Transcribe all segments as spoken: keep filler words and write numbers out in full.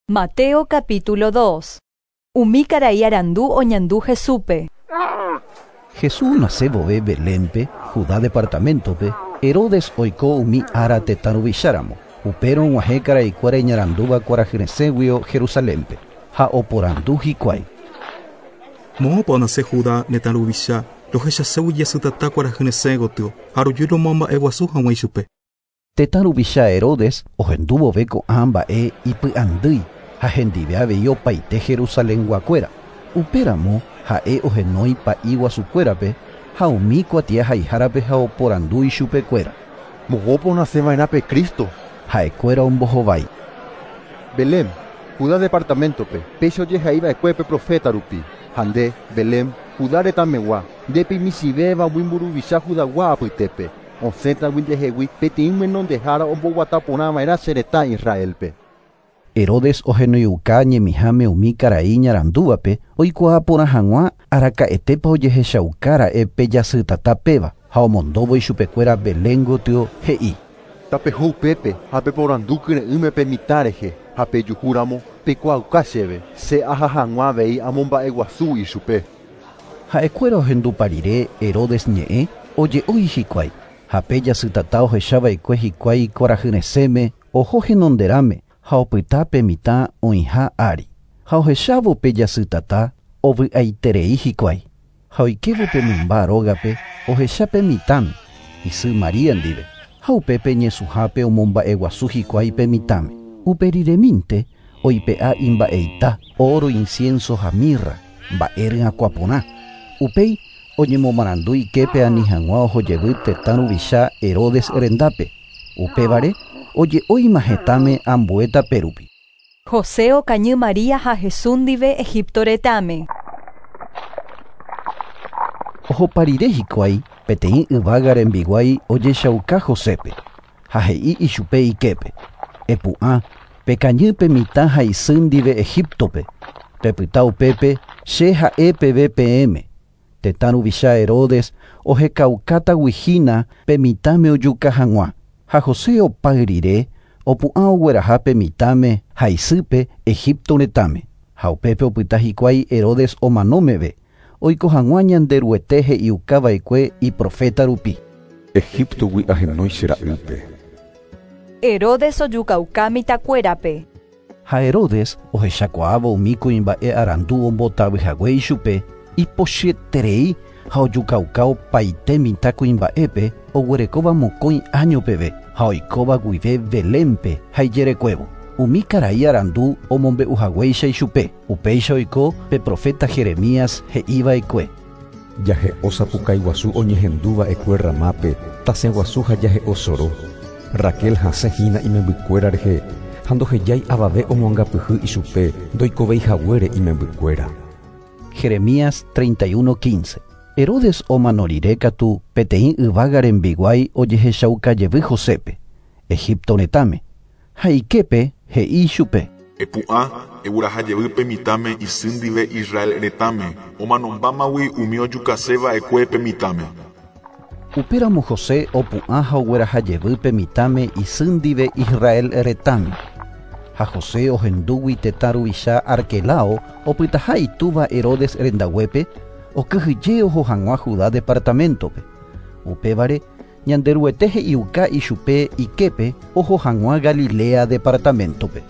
Mateo capítulo dos. Umi karai arandu oñandu Jesúspe. Jesús nace vove Belénpe, Judá departamentope, Herodes oiko umi ára tetã ruvicháramo. Upérõ og̃uahẽ karaikuéra iñarandúva kuarahyresẽguio Jerusalénpe ha oporandu hikuái. Moõpa onase Judá tetã ruvicha rohechaségui jasytata kuarahyresẽ gotyo ha roju romomba'eguasu hag̃ua ichupe. Tetã ruvicha Herodes ohendúvove ko'ã mba'e ipy'andýi ha hendive avei opaite Jerusalenguakuéra. Upéramo ha'e ohenói pa'i guasukuérape ha umi kuatiahaihárape ha oporandu ichupekuéra. Moõpa onaseva'erã pe Cristo? Ha'ekuéra ombohovái. Belém, Judá departamentope, péicha ojehaiva'ekue pe profeta rupi. Ha nde, Belém, Judá retãmegua, ndépe imichĩvéva umi mburuvicha Judagua apytépe. Osẽtagui ndehegui peteĩ myenondehára omboguataporãva'erã che retã Israelpe. Herodes ohenoiuka ñemiháme umi karai iñarandúvape oikuaa porã hag̃ua araka'etépa ojehechaukára'e pe jasytata péva ha omondóvo ichupekuéra Belén gotyo he'i. Tapeho upépe ha peporandu kyre'ỹme pe mitã rehe ha pejuhúramo peikuaauka chéve che aha hag̃ua avei amomba'eguasu ichupe. Ha'ekuéra ohendupa rire Herodes ñe'ẽ oje'ói hikuái ha pe jasytata ohechava'ekue hikuái kuarahyresẽme oho henonderãme ha opyta pe mitã oĩha ári. Ha ohechávo pe jasytata ovy'aiterei hikuái. Ha oikévo pe mymba rógape ohecha pe mitãme isy Maria ndive. Ha upépe ñesũhápe omomba'eguasu hikuái pe mitãme. Uperiremínte oipe'a imba'eita, oro, incienso ha mirra, mba'e ryakuãporã. Upéi oñemomarandu iképe ani hag̃ua ohojevy tetã ruvicha Herodes rendápe. Upévare oje'óima hetãme ambue tape rupi. José okañy María ha Jesús ndive Egipto retãme. Ohopa rire hikuái peteĩ yvága rembiguái ojechauka Josépe ha he'i ichupe iképe. Epu'ã pekañy pe mitã ha isy ndive Egiptope. Pepyta upépe che ha'e peve peẽme. Tetã ruvicha Herodes ohekaukáta hína pe mitãme ojuka hag̃ua. Ha José opáy rire opu'ã ogueraha pe mitãme ha isýpe Egipto retãme. Ha upépe opyta hikuái Herodes omano meve. Oiko hag̃ua Ñanderuete he'iukava'ekue iprofeta rupi. Egiptogui ahenói che ra'ýpe. Herodes ojukauka mitãkuérape. Ha Herodes ohechakuaávo umi kuimba'e arandu ombotavyhague ichupe ipochyeterei ha ojukauka opaite mitã kuimba'épe oguerekóva mokõi año peve ha oikóva guive Belénpe ha ijerekuévo. Umi karai arandu omombe'uhaguéicha ichupe. Upéicha oiko pe profeta Jeremías he'iva'ekue. Jahe'o sapukaiguasu oñehendúva'ekue Ramápe, tasẽguasu ha jahe'o soro. Raquel hasẽhína imembykuéra rehe ha ndohejái avave omoangapyhy ichupe ndoikoveihaguére imembykuéra. Jeremías treinta y uno quince. Herodes omano rire katu peteĩ yvága rembiguái ojehechaukajevy Josépe, Egipto retãme. Ha iképe he'i ichupe. Epu'ã eguerahajevy pe mitãme isy ndive Israel retãme omanombámagui umi ojukaseva'ekue pe mitãme. Upéramo José opu'ã ha oguerahajevy pe mitãme isy ndive Israel retãme. Ha José ohendúgui tetã ruvicha Arquelao opytaha itúva Herodes rendaguépe okyhyje oho hag̃ua Judá departamentope. Upévare Ñanderuete he'iuka ichupe iképe oho hag̃ua Galilea departamentope.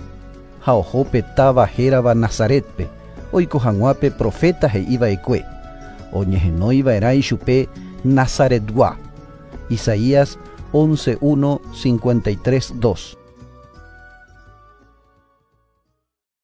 Ha oho pe táva hérava Nazaretpe oiko hag̃ua pe profeta he'iva'ekue. Oñehenoiva'erã ichupe Nazaretgua. Isaías once uno cincuenta y tres dos.